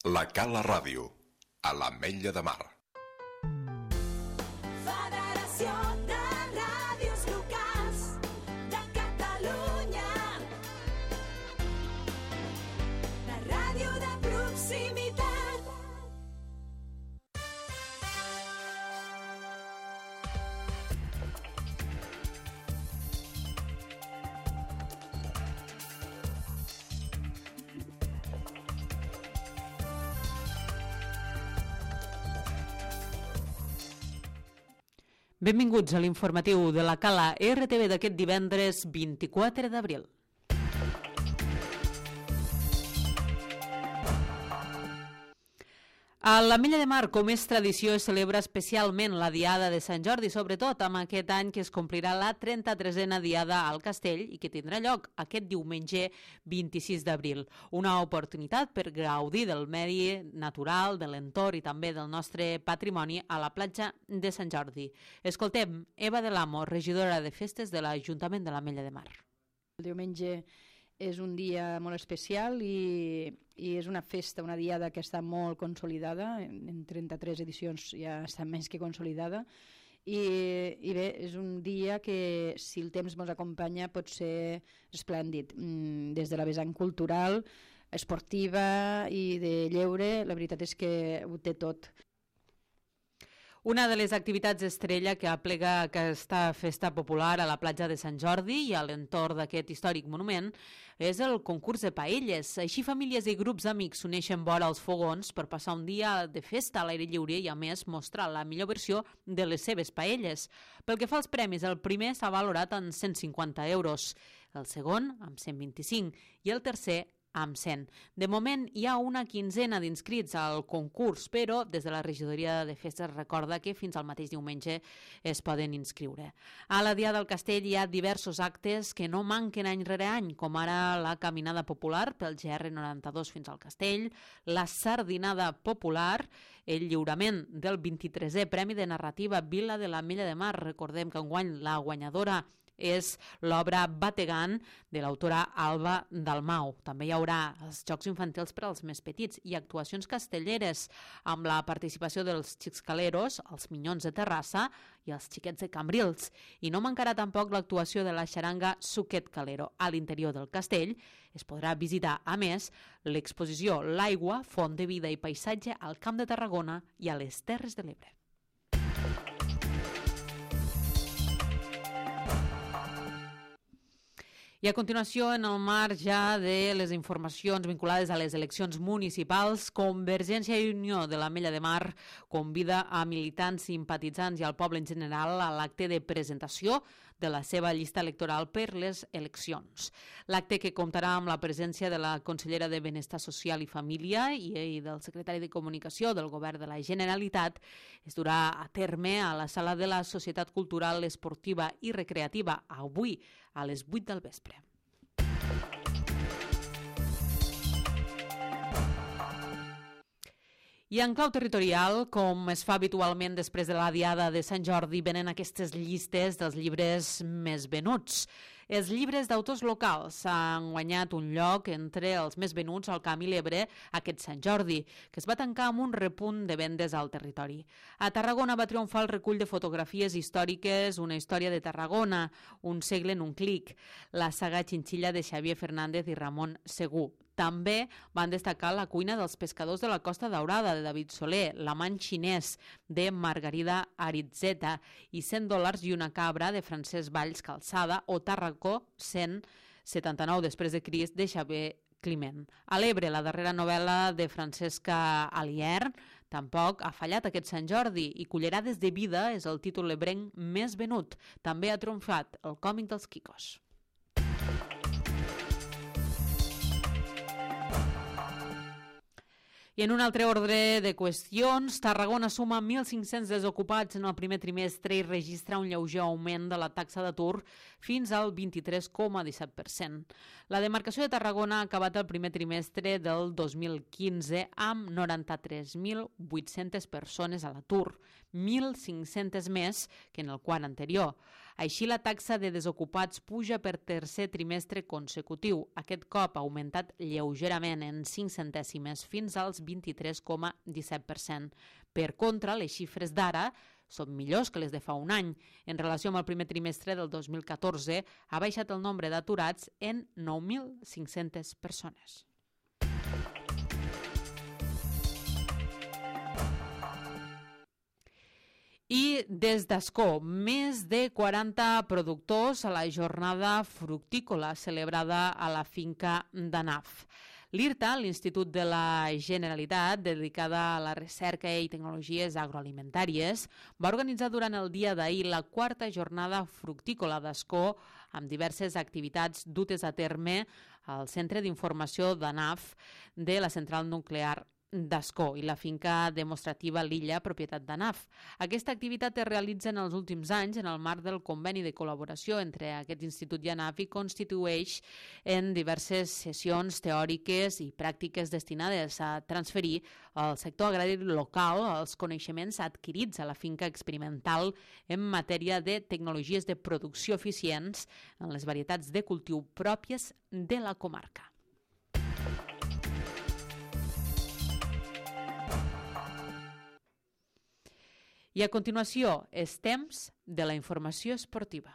La Cala Ràdio, a l'Ametlla de Mar. Federació de Ràdios Locals de Catalunya. La ràdio de proximitat. Benvinguts a l'informatiu de la Cala RTV d'aquest divendres 24 d'abril. A l'Ametlla de Mar, com és tradició, es celebra especialment la Diada de Sant Jordi, sobretot amb aquest any que es complirà la 33a Diada al Castell i que tindrà lloc aquest diumenge 26 d'abril. Una oportunitat per gaudir del medi natural, de l'entorn i també del nostre patrimoni a la platja de Sant Jordi. Escoltem Eva de l'Amo, regidora de Festes de l'Ajuntament de l'Ametlla de Mar. El diumenge és un dia molt especial i és una festa, una diada que està molt consolidada, en 33 edicions ja està més que consolidada, i bé, és un dia que, si el temps ens acompanya, pot ser esplèndid. Des de la vessant cultural, esportiva i de lleure, la veritat és que ho té tot. Una de les activitats estrella que aplega aquesta festa popular a la platja de Sant Jordi i a l'entorn d'aquest històric monument és el concurs de paelles. Així, famílies i grups d'amics s'uneixen vora els fogons per passar un dia de festa a l'aire lliure i, a més, mostrar la millor versió de les seves paelles. Pel que fa als premis, el primer s'ha valorat en 150 euros, el segon amb 125 i el tercer amb 100. De moment hi ha una quinzena d'inscrits al concurs, però des de la regidoria de festes recorda que fins al mateix diumenge es poden inscriure. A la Diada del Castell hi ha diversos actes que no manquen any rere any, com ara la caminada popular pel GR92 fins al Castell, la sardinada popular, el lliurament del 23è Premi de Narrativa Vila de l'Ametlla de Mar. Recordem que enguany la guanyadora és l'obra Bategan de l'autora Alba Dalmau. També hi haurà els Jocs Infantils per als més petits i actuacions castelleres amb la participació dels Xixcaleros, els Minyons de Terrassa i els Xiquets de Cambrils. I no mancarà tampoc l'actuació de la xaranga Suquet Calero. A l'interior del castell es podrà visitar, a més, l'exposició L'aigua, font de vida i paisatge al Camp de Tarragona i a les Terres de l'Ebre. I a continuació, en el marc ja de les informacions vinculades a les eleccions municipals, Convergència i Unió de l'Ametlla de Mar convida a militants, simpatitzants i al poble en general a l'acte de presentació de la seva llista electoral per les eleccions. L'acte, que comptarà amb la presència de la consellera de Benestar Social i Família i del secretari de Comunicació del Govern de la Generalitat, es durà a terme a la sala de la Societat Cultural, Esportiva i Recreativa avui a les 8 del vespre. I en clau territorial, com es fa habitualment després de la Diada de Sant Jordi, venen aquestes llistes dels llibres més venuts. Els llibres d'autors locals han guanyat un lloc entre els més venuts al Camp i l'Ebre aquest Sant Jordi, que es va tancar amb un repunt de vendes al territori. A Tarragona va triomfar el recull de fotografies històriques Una història de Tarragona, un segle en un clic, la saga Xinxilla de Xavier Fernández i Ramon Segú. També van destacar La cuina dels pescadors de la Costa Daurada, de David Soler, L'amant xinès, de Margarida Aritzeta, i $100 i una cabra, de Francesc Valls Calçada, o Tarracó 179 després de Crist, de Xavier Climent. A l'Ebre, la darrera novel·la de Francesca Alier tampoc ha fallat aquest Sant Jordi, i Cullerades de vida és el títol ebrenc més venut. També ha triomfat el còmic dels Quicos. I en un altre ordre de qüestions, Tarragona suma 1.500 desocupats en el primer trimestre i registra un lleuger augment de la taxa d'atur fins al 23,17%. La demarcació de Tarragona ha acabat el primer trimestre del 2015 amb 93.800 persones a l'atur, 1.500 més que en el quart anterior. Així, la taxa de desocupats puja per tercer trimestre consecutiu. Aquest cop ha augmentat lleugerament en 5 centèsimes fins als 23,17%. Per contra, les xifres d'ara són millors que les de fa un any. En relació amb el primer trimestre del 2014, ha baixat el nombre d'aturats en 9.500 persones. I des d'Ascó, més de 40 productors a la jornada fructícola celebrada a la finca d'Anaf. L'IRTA, l'Institut de la Generalitat, dedicada a la recerca i tecnologies agroalimentàries, va organitzar durant el dia d'ahir la 4a jornada fructícola d'Ascó amb diverses activitats dutes a terme al Centre d'Informació d'Anaf de la Central Nuclear d'Ascó i la finca demostrativa L'Illa, propietat d'Anaf. Aquesta activitat es realitza en els últims anys en el marc del conveni de col·laboració entre aquest institut i Anaf i constitueix en diverses sessions teòriques i pràctiques destinades a transferir al sector agrari local els coneixements adquirits a la finca experimental en matèria de tecnologies de producció eficients en les varietats de cultiu pròpies de la comarca. I a continuació, és temps de la informació esportiva.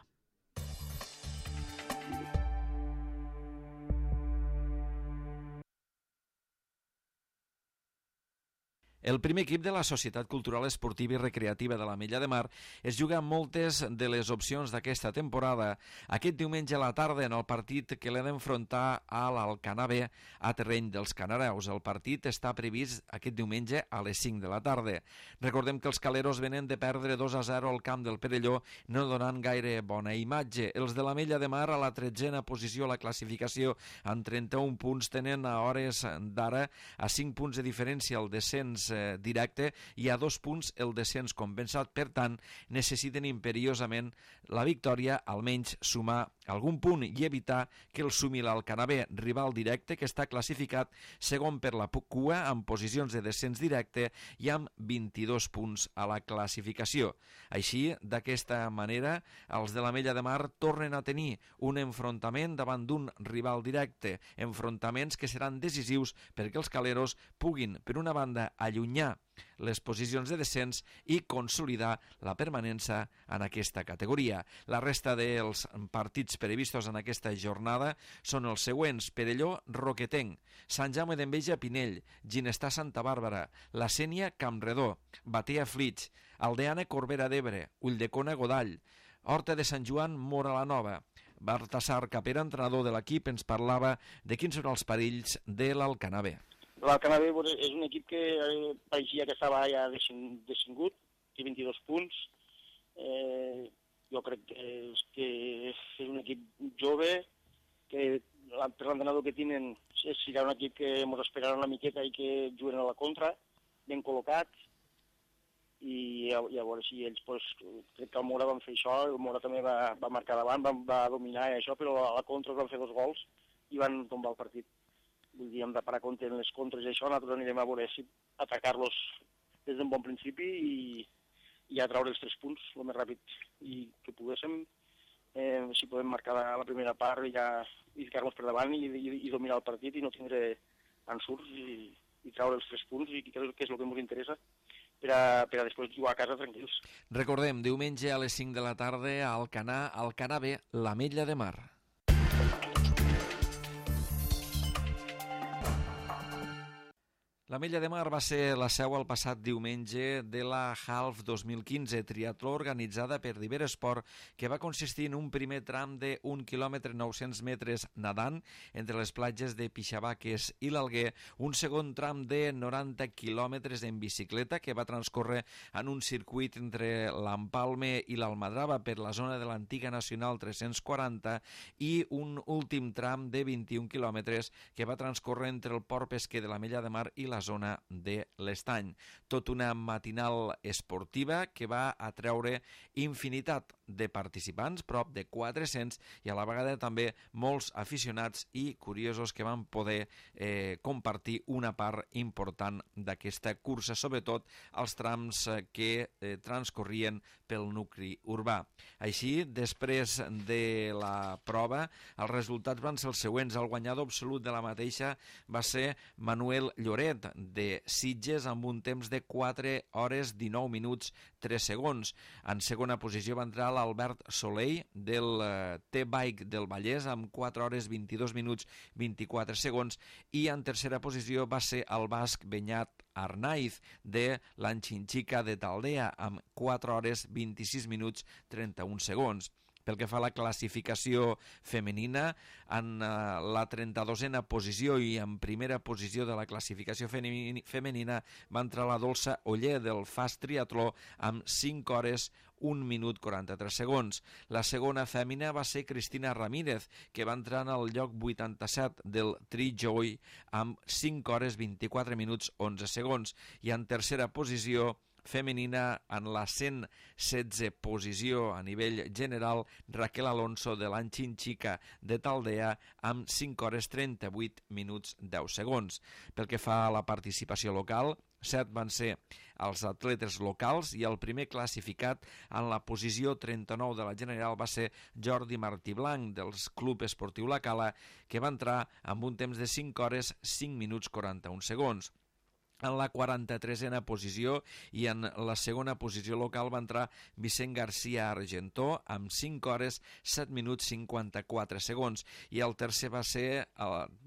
El primer equip de la Societat Cultural Esportiva i Recreativa de l'Ametlla de Mar es juga moltes de les opcions d'aquesta temporada aquest diumenge a la tarda en el partit que l'ha d'enfrontar a l'Alcanar B a terreny dels Canareus. El partit està previst aquest diumenge a les 5 de la tarda. Recordem que els caleros venen de perdre 2-0 al camp del Perelló, no donant gaire bona imatge. Els de l'Ametlla de Mar a la 13a posició a la classificació amb 31 punts tenen a hores d'ara a 5 punts de diferència el descens directe i a 2 punts el descens compensat. Per tant, necessiten imperiosament la victòria, almenys sumar algun punt i evitar que el sumi l'Alcanar B, rival directe que està classificat segon per la cua amb posicions de descens directe i amb 22 punts a la classificació. Així, d'aquesta manera, els de l'Ametlla de Mar tornen a tenir un enfrontament davant d'un rival directe, enfrontaments que seran decisius perquè els caleros puguin, per una banda, allunyar les posicions de descens i consolidar la permanència en aquesta categoria. La resta dels partits previstos en aquesta jornada són els següents: Perelló, Roquetenc, Sant Jaume d'Enveja, Pinell, Ginestar, Santa Bàrbara, La Sénia, Campredó, Batea, Flix, Aldeana, Corbera d'Ebre, Ulldecona, Godall, Horta de Sant Joan, Móra la Nova. Baltasar Capera, entrenador de l'equip, ens parlava de quins són els perills de l'Alcanar B. L'Alcanar B és un equip que pareixia que estava ja descengut, té 22 punts. Jo crec que és un equip jove, que per l'entrenador que tenen serà un equip que ens esperarà una miqueta i que juguen a la contra, ben col·locats, i a veure si ells, crec que el Mora van fer això, el Mora també va marcar davant, va dominar això, però a la contra van fer 2 gols i van tombar el partit. Vull dir, hem de parar compte en les contres i això, nosaltres anirem a veure si atacar-los des d'un bon principi i a treure els 3 punts el més ràpid i que poguéssim, si podem marcar la primera part i ficar-nos per davant i dominar el partit i no tindre ensurts i treure els 3 punts, i crec que és el que ens interessa per a després jugar a casa tranquils. Recordem, diumenge a les 5 de la tarda a Alcanar B, l'Ametlla de Mar. L'Ametlla de Mar va ser la seu el passat diumenge de la Half 2015, triatló organitzada per Diveresport, que va consistir en un primer tram de 1 quilòmetre 900 metres nadant entre les platges de Pixabaques i l'Alguer, un segon tram de 90 quilòmetres en bicicleta que va transcórrer en un circuit entre l'Empalme i l'Almadrava per la zona de l'antiga Nacional 340 i un últim tram de 21 quilòmetres que va transcórrer entre el port pesquer de l'Ametlla de Mar i la zona de l'Estany. Tot una matinal esportiva que va atreure infinitat de participants, prop de 400, i a la vegada també molts aficionats i curiosos que van poder compartir una part important d'aquesta cursa, sobretot als trams que transcorrien pel nucli urbà. Així, després de la prova, els resultats van ser els següents. El guanyador absolut de la mateixa va ser Manuel Lloret, de Sitges, amb un temps de 4 hores 19 minuts 3 segons. En segona posició va entrar l'Albert Soleil, del T-Bike del Vallès, amb 4 hores 22 minuts 24 segons, i en tercera posició va ser el basc Beñat Arnaiz, de l'Anxinxica de Taldea, amb 4 hores 26 minuts 31 segons. Pel que fa a la classificació femenina, en la 32a posició i en primera posició de la classificació femenina va entrar la Dolça Oller, del Fast Triatló, amb 5 hores 1 minut 43 segons. La segona fèmina va ser Cristina Ramírez, que va entrar en el lloc 87 del Tri-Joy amb 5 hores 24 minuts 11 segons. I en tercera posició femenina, en la 116 posició a nivell general, Raquel Alonso, de l'Anxinxica de Taldea, amb 5 hores 38 minuts 10 segons. Pel que fa a la participació local, 7 van ser els atletes locals i el primer classificat en la posició 39 de la general va ser Jordi Martí Blanc, del Club Esportiu La Cala, que va entrar amb un temps de 5 hores 5 minuts 41 segons. En la 43a posició i en la segona posició local va entrar Vicent García Argentó amb 5 hores 7 minuts 54 segons, i el tercer va ser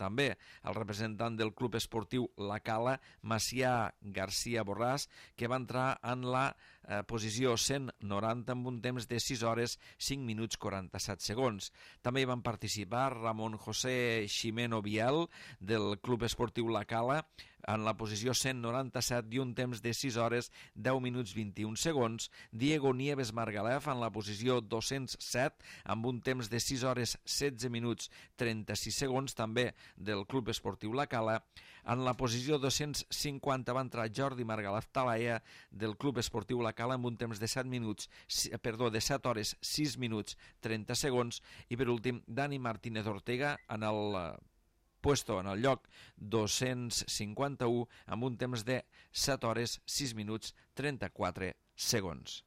també el representant del Club Esportiu La Cala, Macià García Borràs, que va entrar en la posició 190 amb un temps de 6 hores 5 minuts 47 segons. També hi van participar Ramon José Ximeno Biel, del Club Esportiu La Cala, en la posició 197 i un temps de 6 hores 10 minuts 21 segons, Diego Nieves Margalef en la posició 207 amb un temps de 6 hores 16 minuts 36 segons, també del Club Esportiu La Cala. En la posició 250 va entrar Jordi Margalef Talaia, del Club Esportiu La Cala, amb un temps de 7 hores 6 minuts 30 segons, i per últim Dani Martínez Ortega en el lloc 251 amb un temps de 7 hores 6 minuts 34 segons.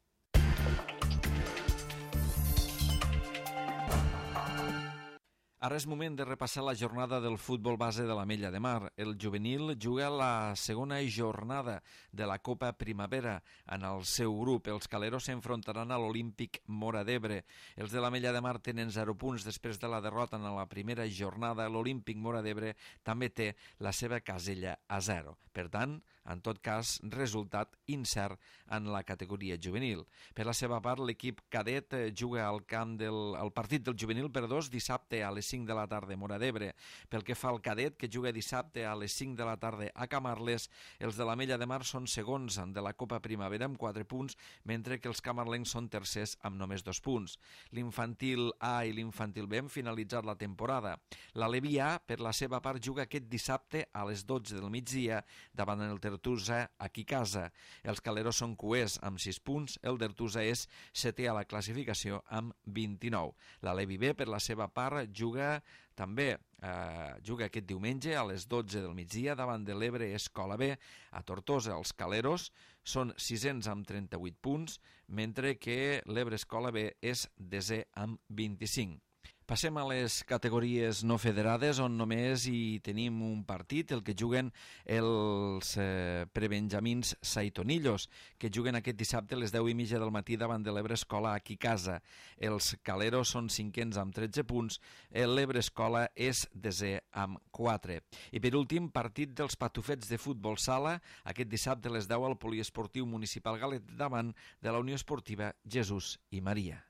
Ara és moment de repassar la jornada del futbol base de l'Ametlla de Mar. El juvenil juga la segona jornada de la Copa Primavera. En el seu grup, els caleros s'enfrontaran a l'Olímpic Móra d'Ebre. Els de l'Ametlla de Mar tenen 0 punts després de la derrota en la primera jornada. L'Olímpic Móra d'Ebre també té la seva casella a 0. Per tant, en tot cas, resultat incert en la categoria juvenil. Per la seva part, l'equip cadet juga al partit del juvenil dissabte a les 5 de la tarda a Móra d'Ebre. Pel que fa al cadet, que juga dissabte a les 5 de la tarda a Camarles, els de l'Ametlla de Mar són segons de la Copa Primavera amb 4 punts, mentre que els camarlencs són tercers amb només 2 punts. L'infantil A i l'infantil B han finalitzat la temporada. l'Alevi A, per la seva part, juga aquest dissabte a les 12 del migdia davant el Dertusa aquí a casa. Els caleros són cuers amb 6 punts, el Dertusa és setè a la classificació amb 29. L'Alevi B, per la seva part, juga aquest diumenge a les 12 del migdia davant de l'Ebre Escola B. A Tortosa, els caleros són sisens amb 38 punts, mentre que l'Ebre Escola B és desè amb 25. Passem a les categories no federades, on només hi tenim un partit, el que juguen els prebenjamins Saitonillos, que juguen aquest dissabte a les 10:30 del matí davant de l'Ebre Escola aquí a casa. Els caleros són cinquens amb 13 punts, l'Ebre Escola és desè amb 4. I per últim, partit dels patufets de futbol sala, aquest dissabte a les 10 al Poliesportiu Municipal Galet davant de la Unió Esportiva Jesús i Maria.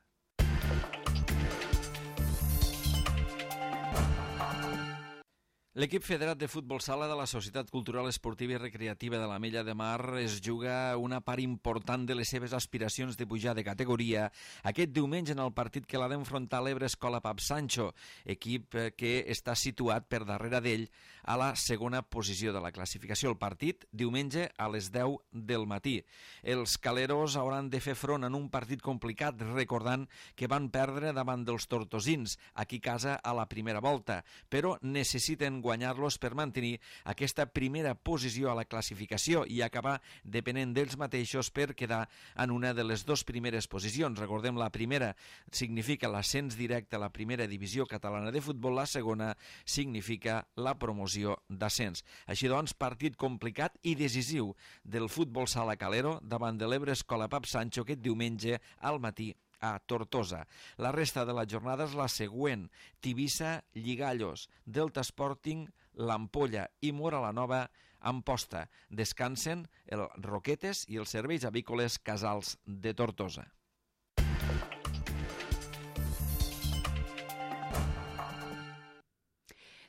L'equip federat de futbol sala de la Societat Cultural Esportiva i Recreativa de l'Ametlla de Mar es juga una part important de les seves aspiracions de pujar de categoria aquest diumenge en el partit que l'ha d'enfrontar l'Ebre Escola Pap Sancho, equip que està situat per darrere d'ell a la segona posició de la classificació. El partit, diumenge a les 10 del matí. Els caleros hauran de fer front en un partit complicat, recordant que van perdre davant dels tortosins, aquí a casa a la primera volta, però necessiten guanyar-los per mantenir aquesta primera posició a la classificació i acabar depenent d'ells mateixos per quedar en una de les dues primeres posicions. Recordem, la primera significa l'ascens directe a la primera divisió catalana de futbol, la segona significa la promoció d'ascens. Així doncs, partit complicat i decisiu del futbol sala calero davant de l'Ebre Escola Pap Sancho aquest diumenge al matí a Tortosa. La resta de la jornada és la següent: Tivissa, Lligallos, Delta Sporting, l'Ampolla i Mora la Nova, Amposta. Descansen el Roquetes i els serveis avícoles Casals de Tortosa.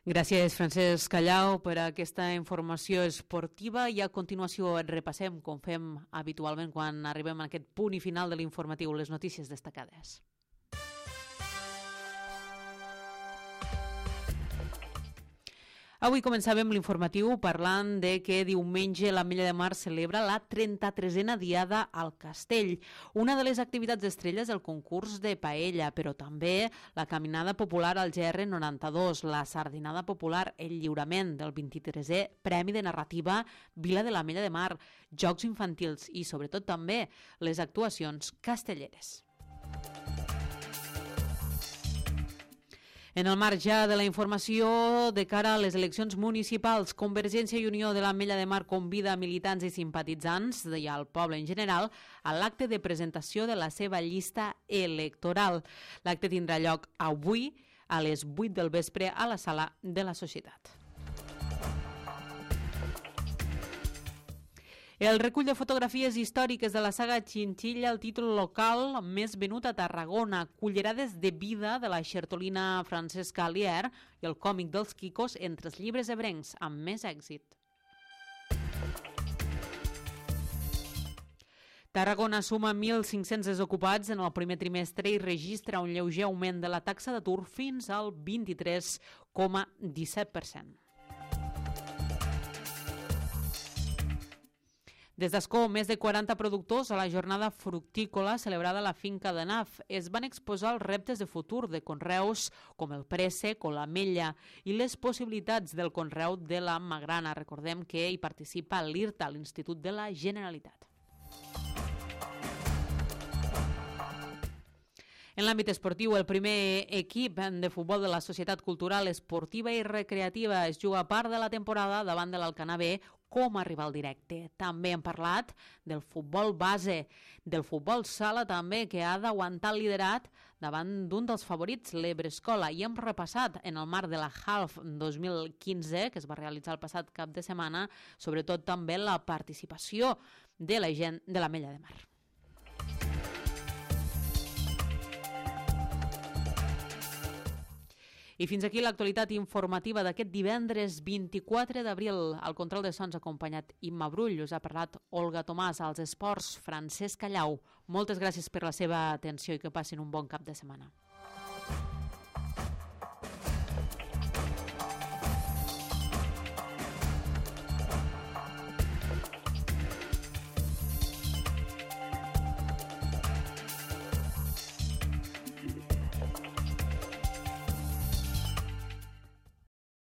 Gràcies, Francesc Callau, per aquesta informació esportiva, i a continuació repassem, com fem habitualment quan arribem a aquest punt i final de l'informatiu, les notícies destacades. Avui començàvem l'informatiu parlant de que diumenge l'Ametlla de Mar celebra la 33a Diada al Castell. Una de les activitats estrelles del concurs de paella, però també la caminada popular al GR92, la sardinada popular, el lliurament del 23è Premi de Narrativa Vila de l'Ametlla de Mar, jocs infantils i, sobretot, també les actuacions castelleres. En el marc ja de la informació de cara a les eleccions municipals, Convergència i Unió de l'Ametlla de Mar convida militants i simpatitzants i al poble en general a l'acte de presentació de la seva llista electoral. L'acte tindrà lloc avui a les 8 del vespre a la sala de la Societat. El recull de fotografies històriques de la saga Chinchilla, el títol local més venut a Tarragona, cullerades de vida de la xertolina Francesca Alier i el còmic dels Quicos entre els llibres ebrencs amb més èxit. Tarragona suma 1.500 desocupats en el primer trimestre i registra un lleuger augment de la taxa d'atur fins al 23,17%. Des d'Ascó, més de 40 productors a la jornada fructícola celebrada a la finca de Naf es van exposar als reptes de futur de conreus com el préssec o l'ametlla i les possibilitats del conreu de la magrana. Recordem que hi participa l'IRTA, l'Institut de la Generalitat. En l'àmbit esportiu, el primer equip de futbol de la Societat Cultural Esportiva i Recreativa es juga part de la temporada davant de l'Alcanar B com a rival directe. També hem parlat del futbol base, del futbol sala també, que ha d'aguantar el liderat davant d'un dels favorits, l'Ebre Escola, i hem repassat en el marc de la Half 2015, que es va realitzar el passat cap de setmana, sobretot també la participació de la gent de l'Ametlla de Mar. I fins aquí l'actualitat informativa d'aquest divendres 24 d'abril. Al control de sons acompanyat Imma Brull. Us ha parlat Olga Tomàs. Als esports, Francesc Callau. Moltes gràcies per la seva atenció i que passin un bon cap de setmana.